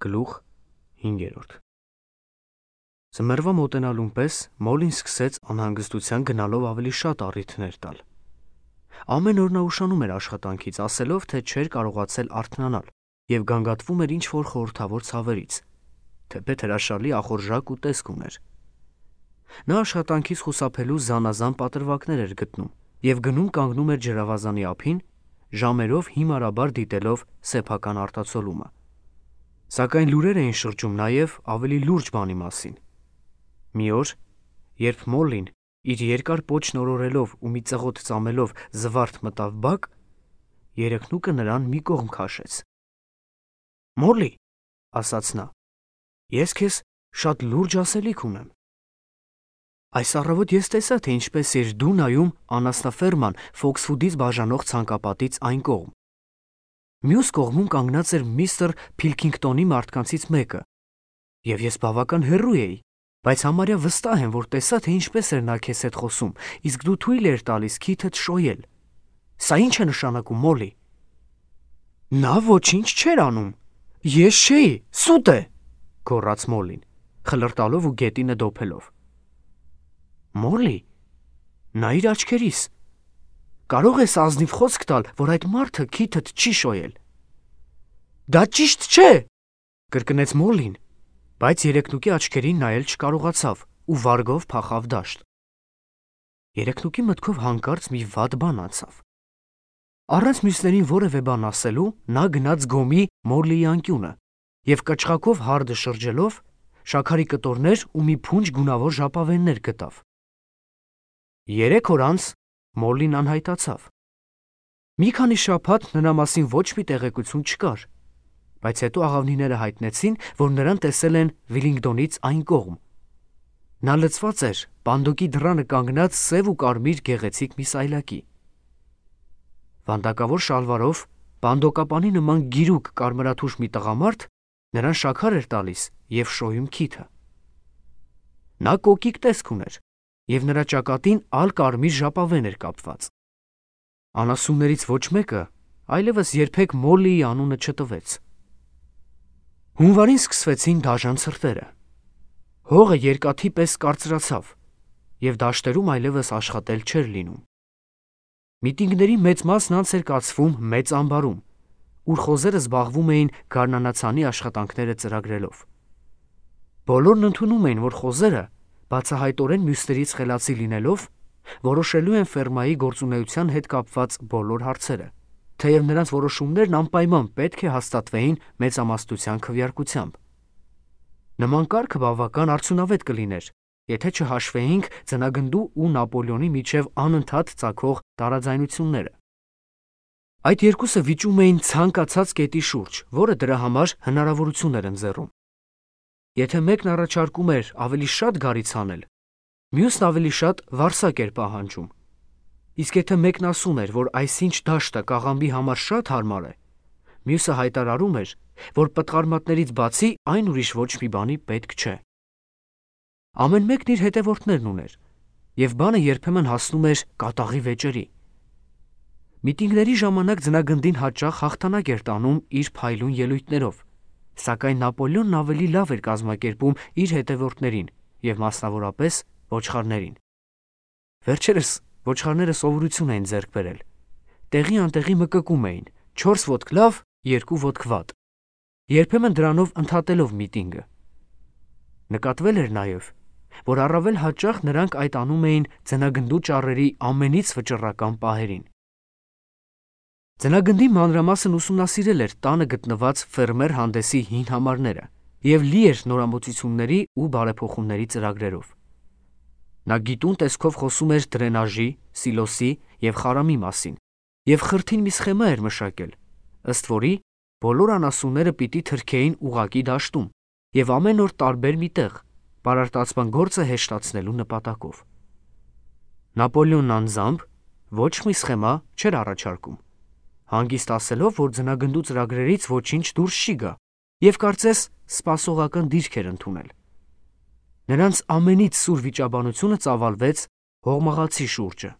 Գլուխ 5. Ձմեռվա մոտենալուն պես Մոլին սկսեց անհանգստության գնալով ավելի շատ առիթներ տալ։ Ամեն օր նա ուշանում էր աշխատանքից, ասելով, թե չէր կարողացել արթնանալ և գանգատվում էր ինչ-որ խորհրդավոր ցավերից, թեպետ հրաշալի ախորժակ ու տեսք ուներ։ Նա աշխատանքից խուսափելու զանազան պատրվակներ էր գտնում և գնում կանգնում էր ջրավազանի ափին, ժամերով հիմարաբար դիտելով սեփական արտացոլումը։ Սակայն լուրեր էին շրջում նաև ավելի լուրջ բանի մասին։ Մի օր, երբ Մոլլին իր երկար պոչն օրորելով ու մի ծղոտ ծամելով զվարթ մտավ բակ, երեխնուկը նրան մի կողմ քաշեց։ «Մոլլի», ասաց նա, «ես քեզ շատ լուրջ ասելիք ունեմ։ Այս առավոտ ես տեսա, թե ինչպես էր դու նայում անասնաֆերման Ֆոքսվուդից բաժանող ցանկապատից այն կողմ։ Մյուս կողմում կանգնած էր միստր Փիլքինգտոնի մարդկանցից մեկը, և ես բավական հեռու էի, բայց համարյա վստահ եմ, որ տեսա, թե ինչպես էր նա քեզ հետ խոսում, իսկ դու թույլ էր տալիս քիթդ շոյել։ Սա ի՞նչ է նշանակում, Մոլլի»։ «Նա ոչինչ չէր անում։ Ես չէի, սուտ է», գոռաց Մոլլին, խլրտալով ու գետինը դոփելով։ «Մոլլի, նայիր աչքերիս։ Կարող ես ազնիվ խոսք տալ, որ այդ մարդը քիթդ չի շոյել»։ «Դա ճիշտ չէ», կրկնեց Մոլլին, բայց երեխնուկի աչքերին նայել չկարողացավ ու վարգով փախավ դաշտ։ Երեխնուկի մտքով հանկարծ մի վատ բան անցավ։ Առանց մյուսներին որևէ բան ասելու նա գնաց գոմի Մոլլիի անկյունը և կչղակով հարդը շրջելով շաքարի կտորներ ու մի փունջ գունավոր ժապավեններ գտավ։ 3 օր անց Մոլլին անհայտացավ։ Մի քանի շաբաթ նրա մասին ոչ մի տեղեկություն չկար, բայց հետո աղավնիները հայտնեցին, որ նրան տեսել են Վիլինգդոնից այն կողմ։ Նա լցված էր պանդոկի դռանը կանգնած սև ու կարմիր գեղեցիկ մի սայլակի։ Վանդակավոր շալվարով, պանդոկապանի նման գիրուկ կարմրաթուշ մի տղամարդ նրան շաքար էր տալիս և շոյում քիթը։ Նա կոկիկ տեսք ուներ, և նրա ճակատին ալ-կարմիր ժապավեն էր կապված։ Անասուններից ոչ մեկը այլևս երբեք Մոլլիի անունը չտվեց։ Հունվարին սկսվեցին դաժան ցրտերը։ Հողը երկաթի պես կարծրացավ, և դաշտերում այլևս աշխատել չէր լինում։ Միտինգների մեծ մասն անց էր կացվում մեծ ամբարում, ուր խոզերը զբաղվում էին գարնանացանի աշխատանքները ծրագրելով։ Բոլորն ընդունում էին, որ խոզերը, բացահայտորեն մյուսներից խելացի լինելով, որոշելու են ֆերմայի գործունեության հետ կապված բոլոր հարցերը, թեև նրանց որոշումներն անպայման պետք է հաստատվեին մեծամասնության քվեարկությամբ։ Նման կարգը բավական արդյունավետ կլիներ, եթե չհաշվեինք ձնագնդու ու Նապոլեոնի միջև անընդհատ ծագող տարաձայնությունները։ Այդ երկուսը վիճում էին ցանկացած կետի շուրջ, որը դրա համար հնարավորություն էր ընձեռում։ Եթե մեկն առաջարկում էր ավելի շատ գարից անել, մյուսն ավելի շատ վարսակ էր պահանջում։ Իսկ եթե մեկն ասում էր, որ այսինչ դաշտը կաղամբի համար շատ հարմար է, մյուսը հայտարարում էր, որ պտղարմատներից բացի այն ուրիշ ոչ մի բանի պետք չէ։ Ամեն մեկն իր հետևորդներն ուներ, և բանը երբեմն հասնում էր կատաղի վեճերի։ Միտինգների ժամանակ ձնագնդին հաճախ հաղթանակ էր տանում իր փայլուն ելույթներով, սակայն Նապոլեոնն ավելի լավ էր կազմակերպում իր հետևորդներին և մասնավորապես ոչխարներին։ Վերջերս ոչխարները սովորություն էին ձեռք բերել։ Տեղի անտեղի մկկում էին 4 ոտք լավ, 2 ոտք վատ, երբեմն դրանով ընդհատելով միտինգը։ Նկատվել էր նաև, որ առավել հաճախ նրանք այդ անում էին ձնագնդու ճառերի ամենից վճռական պահերին։ Ձնագնդի մանրամասն ուսումնասիրել էր տանը գտնված ֆերմեր հանդեսի հին համարները և լի էր նորամուծությունների ու բարեփոխումների ծրագրերով։ Նա գիտուն տեսքով խոսում էր դրենաժի, սիլոսի և խարամի մասին և խրթին մի սխեմա էր մշակել, ըստ որի բոլոր անասունները պիտի թրքեին ուղղակի դաշտում և ամեն օր տարբեր մի տեղ, պարարտացման գործը հեշտացնելու նպատակով։ Նապոլեոնն անձամբ ոչ մի սխեմա չէր առաջարկում, հանգիստ ասելով, որ ձնագնդու ծրագրերից ոչինչ դուրս չի գա և կարծես սպասողական դիրք էր ընդունել։ Նրանց ամենից սուր վիճաբանությունը ծավալվեց հողմաղացի շուրջը։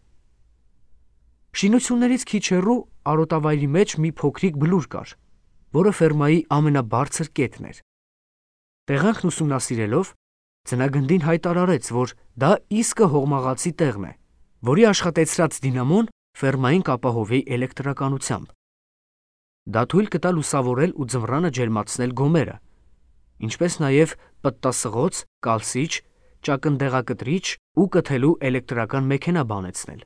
Շինություններից քիչ հեռու արոտավայրի մեջ մի փոքրիկ բլուր կար, որը ֆերմայի ամենաբարձր կետն էր, Տեղանքն ուսումնասիրելով, ձնագնդին հայտարարեց, որ դա իսկը հողմաղացի տեղն է, որի աշխատեցրած դինամոն ֆերմային կապահովի էլեկտրականությամբ։ Դա թույլ կտա լուսավորել ու ձմռանը ջերմացնել գոմերը, ինչպես նաև պտտասղոց, կալսիչ, ճակնդեղակտրիչ ու կթելու էլեկտրական մեքենա բանեցնել։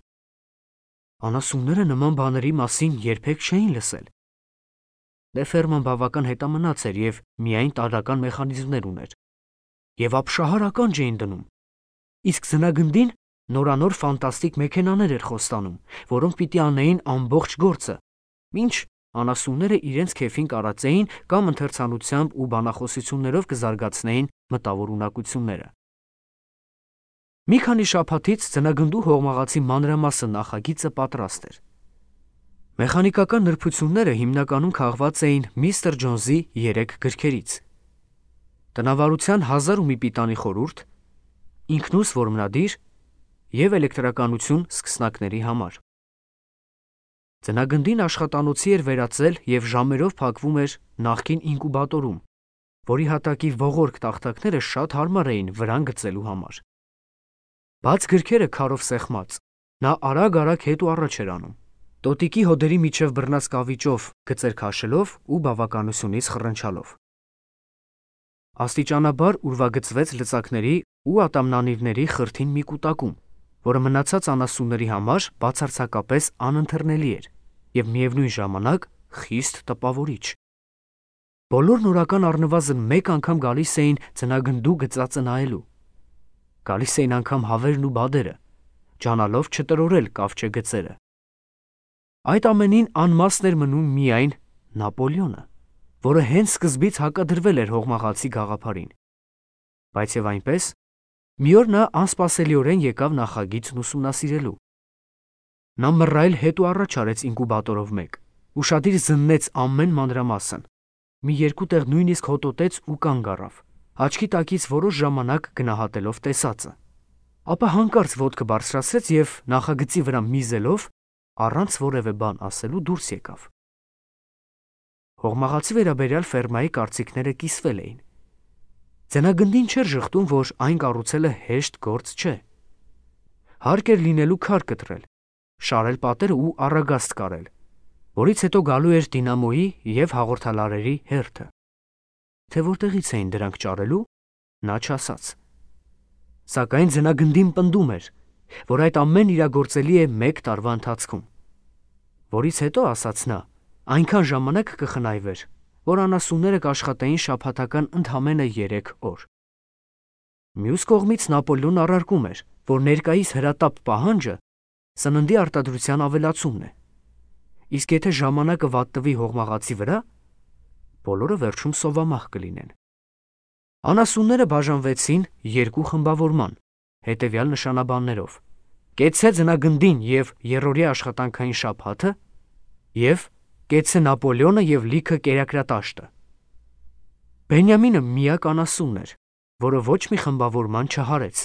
Անասունները նման բաների մասին երբեք չէին լսել։ Դե ֆերման բավական հետամնաց էր և միայն տարրական մեխանիզմներ ուներ։ Եվ ապշահարական չէին դնում։ Իսկ ձնագնդին նորանոր ֆանտաստիկ մեքենաներ էր խոստանում, որոնք պիտի անեին ամբողջ գործը, մինչ անասունները իրենց քեֆին կարածեին կամ ընթերցանությամբ ու բանախոսություններով կզարգացնեին մտավոր ունակությունները։ Մի քանի շաբաթից ձնագնդու հողմաղացի մանրամասը նախագիծը պատրաստ էր։ Մեխանիկական նրբությունները հիմնականում քաղված էին Միսթր Ջոնսի 3 գրքերից։ Տնավարության 1001 պիտանի խորհուրդ, ինքնուս որմնադիր և էլեկտրականություն սկսնակների համար։ Ձնագնդին աշխատանոցի էր վերածել և ժամերով փակվում էր նախկին ինկուբատորում, որի հատակի ողորկ տախտակները շատ հարմար էին վրան գծելու համար։ Բաց գրքերը քարով սեղմած, նա արագ-արագ հետ ու առաջ էր անում, տոտիկի հոդերի միջև բռնած կավիճով գծեր քաշելով ու բավականությունից խռնչալով։ Աստիճանաբար ուրվագծվեց լծակների ու ատամնանիրների խրթին մի կուտակում, որը մնացած անասունների համար բացարձակապես անընթեռնելի էր և միևնույն ժամանակ խիստ տպավորիչ։ Բոլորն օրական առնվազն մեկ անգամ գալիս էին ձնագնդու գծածը նայելու։ Գալիս էին անգամ հավերն ու բադերը, ջանալով չտրորել կավճե գծերը։ Այդ ամենին անմասն էր մնում միայն Նապոլեոնը, որը հենց սկզբից հակադրվել էր հողմաղացի գաղափարին։ Բայց և այնպես, մի օր նա անսպասելիորեն եկավ նախագիծն ուսումնասիրելու։ Նա մռայլ հետ ու առաջ արեց ինկուբատորով մեկ, ուշադիր զննեց ամեն մանրամասն, մի երկու տեղ նույնիսկ հոտոտեց ու կանգ առավ, աչքի տակից որոշ ժամանակ գնահատելով տեսածը։ Ապա հանկարծ ոտքը բարձրացրեց և նախագծի վրա միզելով, առանց որևէ բան ասելու դուրս եկավ։ Հողմաղացի վերաբերյալ ֆերմայի կարծիքները կիսվել էին։ Ձնագնդին չէր ժխտում, որ այն կառուցելը հեշտ գործ չէ։ Հարկ էր լինելու քար կտրել, շարել պատերը ու առագաստ կարել, որից հետո գալու էր դինամոյի և հաղորդալարերի հերթը։ Թե որտեղից էին դրանք ճարելու, նա չասաց։ Սակայն ձնագնդին պնդում էր, որ այդ ամեն իրագործելի է մեկ տարվա ընթացքում, որից հետո, ասաց նա, այնքան ժամանակ կխնայվեր, որ անասունները կաշխատեին շաբաթական ընդամենը 3 օր։ Մյուս կողմից Նապոլեոնն առարկում էր, որ ներկայիս հրատապ պահանջը սննդի արտադրության ավելացումն է, իսկ եթե ժամանակը վատտվի հողմաղացի վրա, բոլորը վերջում սովամահ կլինեն։ Անասունները բաժանվեցին երկու խմբավորման, հետևյալ նշանաբաններով. կեցցե ձնագնդին և երրորդյա աշխատանքային շաբաթը և կեցցե Նապոլեոնը և լիքը կերակրատաշտը։ Բենյամինը միակ անասունն էր, որը ոչ մի խմբավորման չհարեց։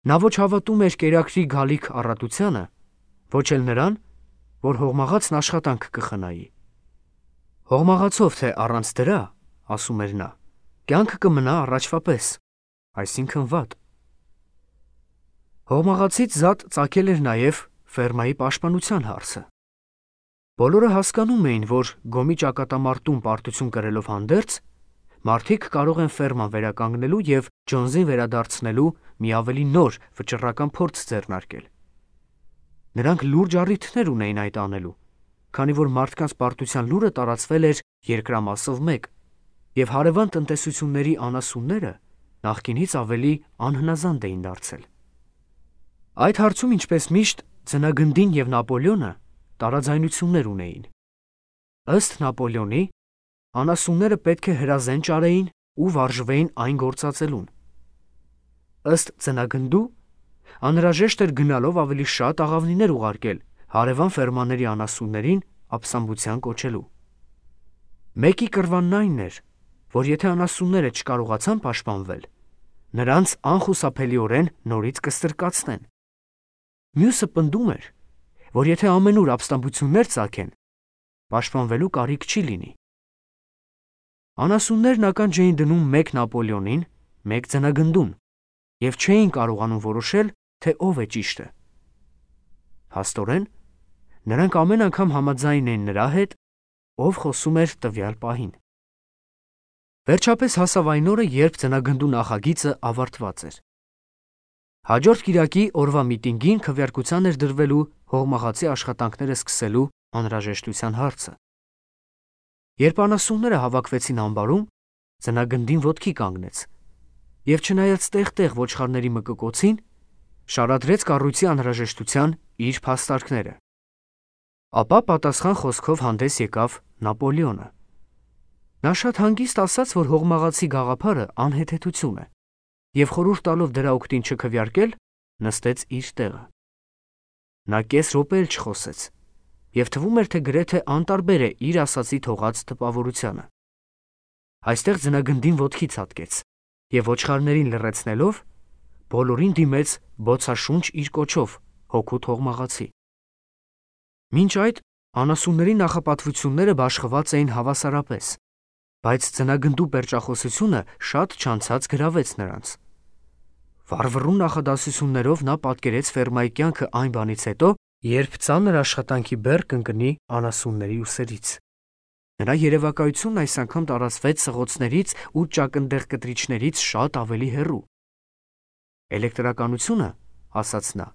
Նա ոչ հավատում էր կերակրի գալիք առատությանը, ոչ էլ նրան, որ հողմաղացն աշխատանք կխնայի։ Հողմաղացով թե առանց դրա, ասում էր նա, կյանքը կմնա առաջվա պես, այսինքն վատ։ Հողմաղացից զատ ծագել էր նաև ֆերմայի պաշտպանության հարցը։ Բոլորը հասկանում էին, որ գոմի ճակատամարտում պարտություն կրելով հանդերձ, մարդիկ կարող են ֆերման վերականգնելու և Ջոնսին վերադարձնելու մի ավելի նոր վճռական փորձ ձեռնարկել։ Նրանք լուրջ առիթներ ունեին այդ անելու, քանի որ մարդկանց պարտության լուրը տարածվել էր երկրամասով մեկ, և հարևան տնտեսությունների անասունները նախկինից ավելի անհնազանդ էին դարձել։ Այդ հարցում, ինչպես միշտ, ձնագնդին և Նապոլեոնը տարաձայնություններ ունեին։ Ըստ Նապոլեոնի, անասունները պետք է հրազեն ճարեին ու վարժվեին այն գործածելուն։ Ըստ ձնագնդու, անհրաժեշտ էր գնալով ավելի շատ աղավնիներ ուղարկել հարևան ֆերմաների անասուններին ապստամբության կոչելու։ Մեկի կռվանն այն էր, որ եթե անասունները չկարողացան պաշտպանվել, նրանց անխուսափելիորեն նորից կստրկացնեն։ Մյուսը պնդում էր, որ եթե ամենուր ապստամբություններ ծագեն, պաշտպանվելու կարիք չի լինի։ Անասուններն ականջ էին դնում մեկ Նապոլեոնին, մեկ ձնագնդուն և չէին կարողանում որոշել, թե ով է ճիշտը։ Փաստորեն, նրանք ամեն անգամ համաձայն էին նրա հետ, ով խոսում էր տվյալ պահին։ Վերջապես հասավ այն օրը, երբ ձնագնդու նախագիծը ավարտված էր։ Հաջորդ կիրակի օրվա միտինգին քվեարկության էր դրվելու հողմաղացի աշխատանքները սկսելու անհրաժեշտության հարցը։ Երբ անասունները հավաքվեցին ամբարում, ձնագնդին ոտքի կանգնեց և չնայած տեղ-տեղ ոչխարների մկկոցին, շարադրեց կառույցի անհրաժեշտության իր փաստարկները։ Ապա պատասխան խոսքով հանդես եկավ Նապոլեոնը։ Նա շատ հանգիստ ասաց, որ հողմաղացի գաղափարը անհեթեթություն է, և խորհուրդ տալով դրա օգտին չքվեարկել, նստեց իր տեղը։ Նա կես րոպե էլ չխոսեց, և թվում էր, թե գրեթե անտարբեր է իր ասածի թողած տպավորությանը։ Այստեղ ձնագնդին ոտքի ցատկեց և ոչխարներին լռեցնելով, բոլորին դիմեց բոցաշունչ իր կոչով հօգուտ հողմաղացի։ Մինչ այդ անասունների նախապատվությունները բաշխված էին հավասարապես, բայց ձնագնդու պերճախոսությունը շատ չանցած գրավեց նրանց։ Վառվռուն նախադասություններով նա պատկերեց ֆերմայի կյանքը այն բանից հետո, երբ ծանր աշխատանքի բեռ կընկնի անասունների ուսերից։ Նրա երևակայությունն այս անգամ տարածվեց սղոցներից ու ճակնդեղ կտրիչներից շատ ավելի հեռու։ Էլեկտրականությունը, ասաց նա,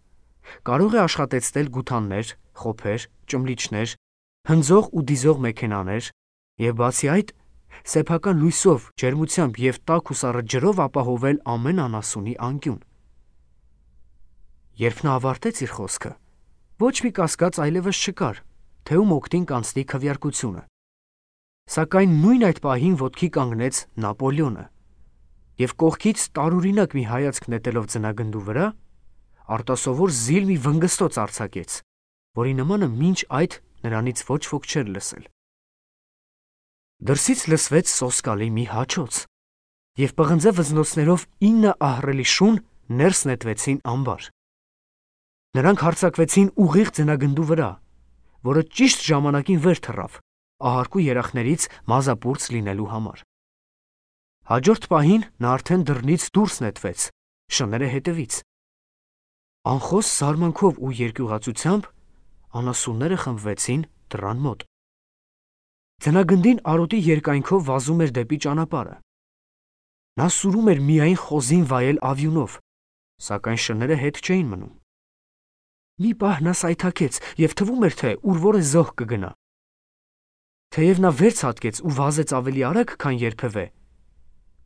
կարող է աշխատեցնել գութաններ, խոփեր, ճմլիչներ, հնձող ու դիզող մեքենաներ և բացի այդ, սեփական լույսով, ջերմությամբ և տաք ու սառը ջրով ապահովել ամեն անասունի անկյուն։ Երբ նա ավարտեց իր խոսքը, ոչ մի կասկած այլևս չկար, թե ում օգտին կանցնի քվեարկությունը։ Սակայն նույն այդ պահին ոտքի կանգնեց Նապոլեոնը և կողքից տարօրինակ մի հայացք նետելով ձնագնդու վրա, արտասովոր զիլ մի վնգստոց արձակեց, որի նմանը մինչ այդ նրանից ոչ ոք չէր լսել։ Դրսից լսվեց սոսկալի մի հաչոց, և պղնձե վզնոցներով 9 ահռելի շուն ներս նետվեցին ամբար։ Նրանք հարձակվեցին ուղիղ ձնագնդու վրա, որը ճիշտ ժամանակին վեր թռավ, ահարկու երախներից մազապուրծ լինելու համար։ Հաջորդ պահին նա արդեն դռնից դուրս նետվեց, շները հետևից։ Անխոս զարմանքով ու երկյուղածությամբ անասունները խմբվեցին դռան մոտ։ Ձնագնդին արոտի երկայնքով վազում էր դեպի ճանապարհը։ Նա սուրում էր միայն խոզին վայել ավյունով, սակայն շները հետ չէին մնում։ Մի պահ նա սայթաքեց և թվում էր, թե ուր որ է զոհ կգնա։ Թեև նա վեր ցատկեց ու վազեց ավելի արագ, քան երբևէ,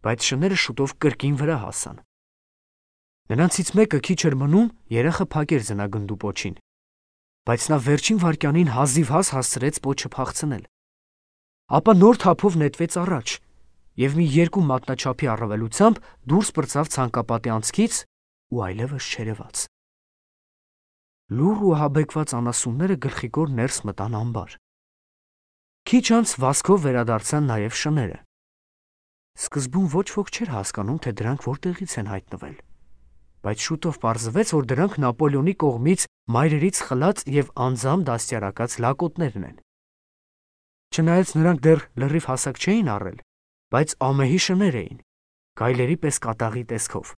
բայց շները շուտով կրկին վրա հասան։ Նրանցից մեկը քիչ էր մնում երախը փակեր ձնագնդու պոչին, բայց նա վերջին վայրկյանին հազիվհազ հասցրեց պոչը փախցնել։ Ապա նոր թափով նետվեց առաջ և մի 2 մատնաչափի առավելությամբ դուրս պրծավ ցանկապատի անցքից ու այլևս չերևաց։ Լուռ ու ահաբեկված անասունները գլխիկոր ներս մտան ամբար։ Քիչ անց վազքով վերադարձան նաև շները։ Սկզբում ոչ ոք չէր հասկանում, թե դրանք որտեղից են հայտնվել, բայց շուտով պարզվեց, որ դրանք Նապոլեոնի կողմից մայրերից խլած և անձամբ դաստիարակած լակոտներն են։ Չնայած նրանք դեռ լրիվ հասակ չէին առել, բայց ամեհի շներ էին, գայլերի պես կատաղի տեսքով։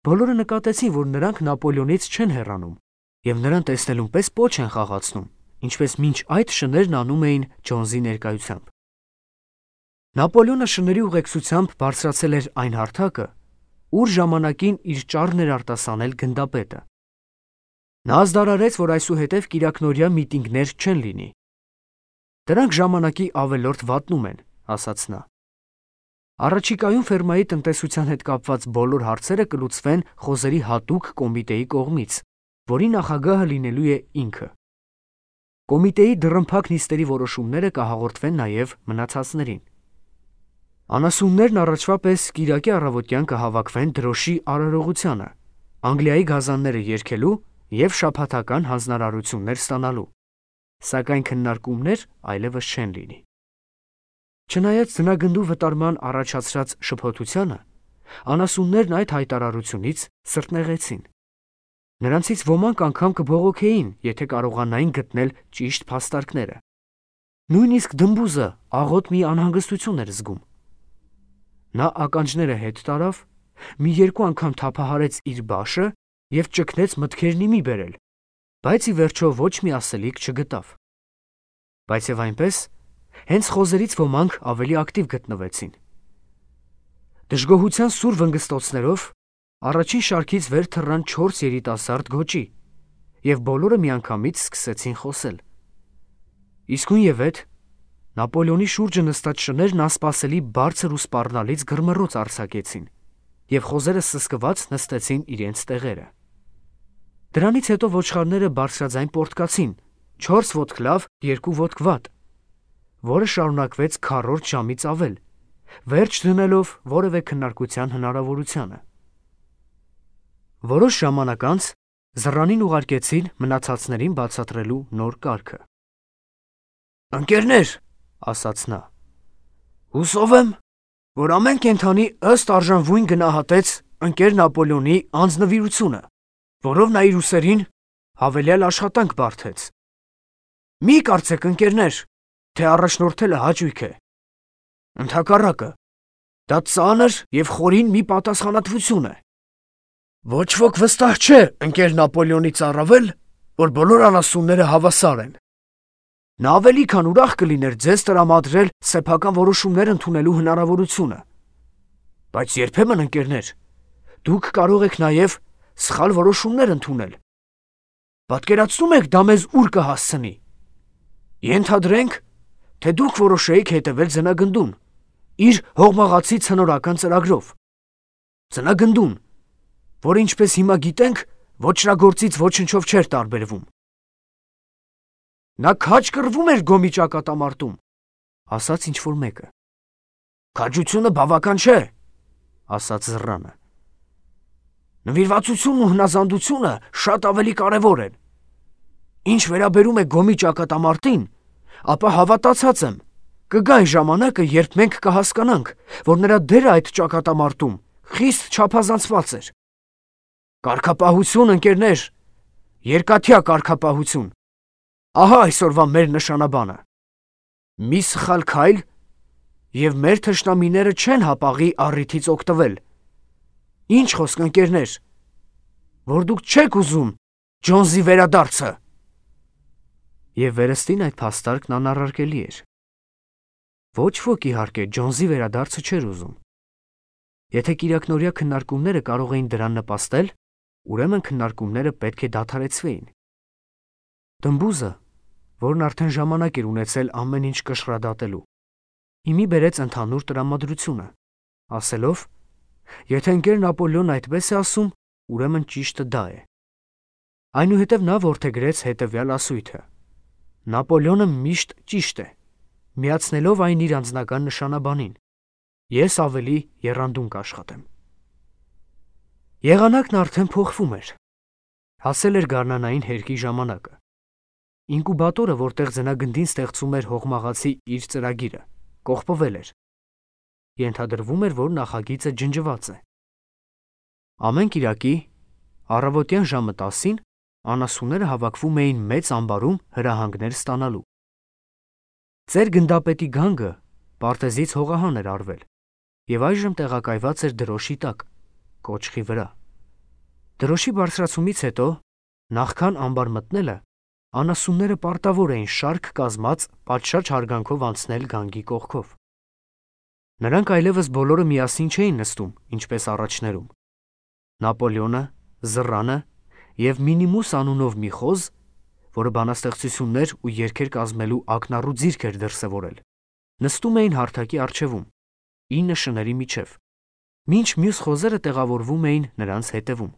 Բոլորը նկատեցին, որ նրանք Նապոլեոնից չեն հեռանում և նրան տեսնելուն պես պոչ են խաղացնում, ինչպես մինչ այդ շներն անում էին Ջոնսի ներկայությամբ։ Նապոլեոնը շների ուղեկցությամբ բարձրացել էր այն հարթակը, ուր ժամանակին իր ճառն էր արտասանել գնդապետը։ Նա ազդարարեց, որ այսուհետև կիրակնօրյա միտինգներ չեն լինի։ Դրանք ժամանակի ավելորդ վատնում են, ասաց նա։ Առաջիկայում ֆերմայի տնտեսության հետ կապված բոլոր հարցերը կլուծվեն խոզերի հատուկ կոմիտեի կողմից, որի նախագահը լինելու է ինքը։ Կոմիտեի դռնփակ նիստերի որոշումները կհաղորդվեն նաև մնացածներին։ Անասուններն առաջվա պես կիրակի առավոտյան կհավաքվեն դրոշի արարողությանը, Անգլիայի գազանները երգելու և շաբաթական հանձնարարություններ ստանալու, սակայն քննարկումներ այլևս չեն լինի։ Չնայած ձնագնդու վտարման առաջացրած շփոթությանը, անասուններն այդ հայտարարությունից սրտնեղեցին։ Նրանցից ոմանք անգամ կբողոքեին, եթե կարողանային գտնել ճիշտ փաստարկները։ Նույնիսկ դմբուզը աղոտ մի անհանգստություն էր զգում։ Նա ականջները հետ տարավ, մի երկու անգամ թափահարեց իր բաշը և ճգնեց մտքերն ի մի բերել, բայց ի վերջո ոչ մի ասելիք չգտավ։ Բայց և այնպես, հենց խոզերից ոմանք ավելի ակտիվ գտնվեցին։ Դժգոհության սուր վնգստոցներով առաջին շարքից վեր թռան 4 երիտասարդ գոճի, և բոլորը միանգամից սկսեցին խոսել։ Իսկույնևեթ Նապոլեոնի շուրջը նստած շներն անսպասելի բարձր ու սպառնալից գրմռոց արձակեցին, և խոզերը սսկված նստեցին իրենց տեղերը։ Դրանից հետո ոչխարները բարձրաձայն պոռթկացին 4 ոտք լավ, 2 ոտք վատ, որը շարունակվեց քառորդ ժամից ավել, վերջ դնելով որևէ քննարկության հնարավորությանը։ Որոշ ժամանակ անց զռանին ուղարկեցին մնացածներին բացատրելու նոր կարգը։ «Ընկերներ», ասաց նա, «հուսով եմ, որ ամեն կենդանի ըստ արժանվույն գնահատեց ընկեր Նապոլեոնի անձնվիրությունը, որով նա իր ուսերին հավելյալ աշխատանք բարդեց։ Մի կարծեք, ընկերներ, թե առաջնորդելը հաճույք է։ Ընդհակառակը, դա ծանր և խորին մի պատասխանատվություն է։ Ոչ ոք վստահ չէ ընկեր Նապոլեոնից առավել, որ բոլոր անասունները հավասար են։ Նա ավելի քան ուրախ կլիներ ձեզ տրամադրել սեփական որոշումներ ընդունելու հնարավորությունը։ Բայց երբեմն, ընկերներ, դուք կարող եք նաև սխալ որոշումներ ընդունել։ Պատկերացնում եք դա մեզ ուր կհասցնի։ Ենթադրենք, թե դուք որոշեիք հետևել ձնագնդուն, իր հողմաղացի ցնորական ծրագրով։ Ձնագնդուն, որը ինչպես հիմա գիտենք, ոչրագործից ոչնչով չէր տարբերվում։ Նա քաջ կռվում էր Գոմի ճակատամարտում, ասաց ինչ-որ մեկը։ Քաջությունը բավական չէ, ասաց զռանը։ Նվիրվածությունն ու հնազանդությունը շատ ավելի կարևոր են։ Ինչ վերաբերում է Գոմի ճակատամարտին, ապա հավատացած եմ, կգա այն ժամանակը, երբ մենք կհասկանանք, որ նրա դերը այդ ճակատամարտում խիստ չափազանցված էր։ Կարգապահություն, ընկերներ, երկաթյա կարգապահություն։ Ահա այսօրվա մեր նշանաբանը։ Մի սխալ քայլ, և մեր թշնամիները չեն հապաղի առիթից օգտվել։ Ինչ խոսք, ընկերներ, որ դուք չեք ուզում Ջոնսի վերադարձը։ Եվ վերստին այդ փաստարկն անառարկելի էր։ Ոչ ոք, իհարկե, Ջոնսի վերադարձը չէր ուզում։ Եթե կիրակնօրյա քննարկումները կարող էին դրան նպաստել, ուրեմն քննարկումները պետք է դադարեցվեին։ Դմբուզը, որն արդեն ժամանակ էր ունեցել ամեն ինչ կշռադատելու, հիմի բերեց ընդհանուր տրամադրությունը, ասելով, եթե ընկեր Նապոլեոնն այդպես է ասում, ուրեմն ճիշտը դա է։ Այնուհետև նա որդեգրեց հետևյալ ասույթը. Նապոլեոնը միշտ ճիշտ է, միացնելով այն իր անձնական նշանաբանին։ Ես ավելի եռանդուն կաշխատեմ։ Եղանակն արդեն փոխվում էր։ Հասել էր գարնանային հերկի ժամանակը։ Ինկուբատորը, որտեղ ձնագնդին ստեղծում էր հողմաղացի իր ծրագիրը, կողպվել էր։ Ենթադրվում էր, որ նախագիծը ջնջված է։ Ամեն կիրակի առավոտյան ժամը 10-ին անասունները հավաքվում էին մեծ ամբարում հրահանգներ ստանալու։ Ծեր գնդապետի գանգը պարտեզից հողահան էր արվել և այժմ տեղակայված էր դրոշի տակ, կոճղի վրա։ Դրոշի բարձրացումից հետո, նախքան ամբար մտնելը, անասունները պարտավոր էին շարք կազմած պատշաճ հարգանքով անցնել գանգի կողքով։ Նրանք այլևս բոլորը միասին չէին նստում, ինչպես առաջներում։ Նապոլեոնը, զռանը և Մինիմուս անունով մի խոզ, որը բանաստեղծություններ ու երգեր կազմելու ակնառու ձիրք էր դրսևորել, նստում էին հարթակի առջևում, 9 շների միջև, մինչ մյուս խոզերը տեղավորվում էին նրանց հետևում։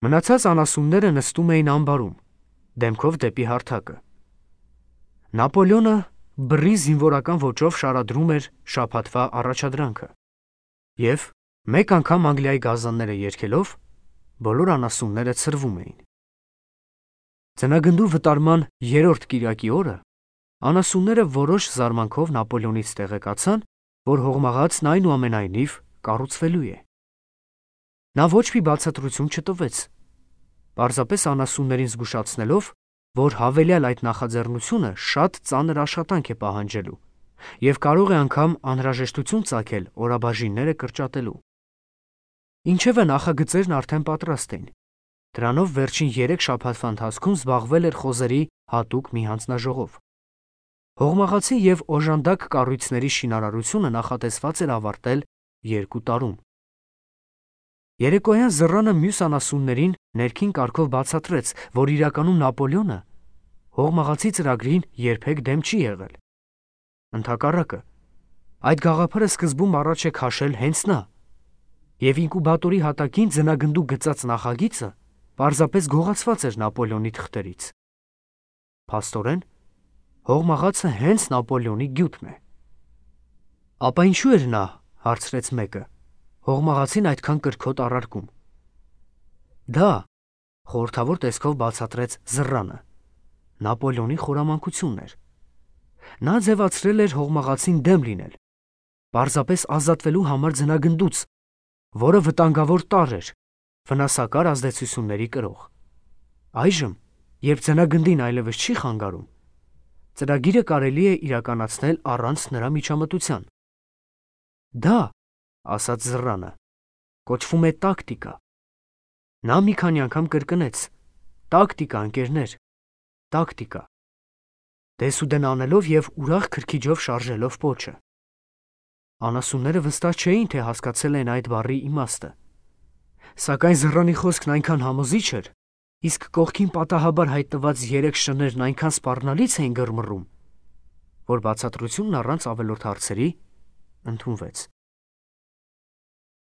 Մնացած անասունները նստում էին ամբարում, դեմքով դեպի հարթակը։ Նապոլեոնը բռի զինվորական ոճով շարադրում էր շաբաթվա առաջադրանքը, և մեկ անգամ Անգլիայի գազանները երգելով, բոլոր անասունները ցրվում էին։ Ձնագնդու վտարման 3-րդ կիրակի օրը անասունները որոշ զարմանքով Նապոլեոնից տեղեկացան, որ հողմաղացն այնուամենայնիվ կառուցվելու է։ Նա ոչ մի բացատրություն չտվեց, պարզապես անասուններին զգուշացնելով, որ հավելյալ այդ նախաձեռնությունը շատ ծանր աշխատանք է պահանջելու և կարող է անգամ անհրաժեշտություն ծագել օրաբաժինները կրճատելու։ Ինչևէ նախագծերն արդեն պատրաստ էին։ Դրանով վերջին 3 շաբաթվա ընթացքում զբաղվել էր խոզերի հատուկ մի հանձնաժողով։ Հողմաղացի և օժանդակ կառույցների շինարարությունը նախատեսված էր ավարտել 2 տարում։ Երեկոյան Զռանը մյուս անասուններին ներքին կարգով բացատրեց, որ իրականում Նապոլեոնը հողմաղացի ծրագրին երբեք դեմ չի եղել։ Ընդհակառակը, այդ գաղափարը սկզբում առաջ է քաշել հենց նա, և ինկուբատորի հատակին ձնագնդու գծած նախագիծը պարզապես գողացված էր Նապոլեոնի թղթերից։ Փաստորեն, հողմաղացը հենց Նապոլեոնի գյուտն է։ Ապա ինչու էր նա, հարցրեց մեկը, հողմաղացին այդքան կրքոտ առարկում։ Դա, խորհրդավոր տեսքով բացատրեց Զռանը, Նապոլեոնի խորամանկությունն էր։ Նա ձևացրել էր հողմաղացին դեմ լինել, պարզապես ազատվելու համար ձնագնդուց, որը վտանգավոր տարր էր, վնասակար ազդեցությունների կրող։ Այժմ, երբ ձնագնդին այլևս չի խանգարում, ծրագիրը կարելի է իրականացնել առանց նրա միջամտության։ Դա, ասաց Զռանը, կոչվում է տակտիկա։ Նա մի քանի անգամ կրկնեց. տակտիկա, ընկերներ, տակտիկա, դեսուդեն անելով և ուրախ քրքիջով շարժելով պոչը։ Անասունները վստահ չէին, թե հասկացել են այդ բառի իմաստը։ Սակայն Զռանի խոսքն այնքան համոզիչ էր, իսկ կողքին պատահաբար հայտնված 3 շներն այնքան սպառնալից էին գրմռում, որ բացատրությունն առանց ավելորդ հարցերի ընդունվեց։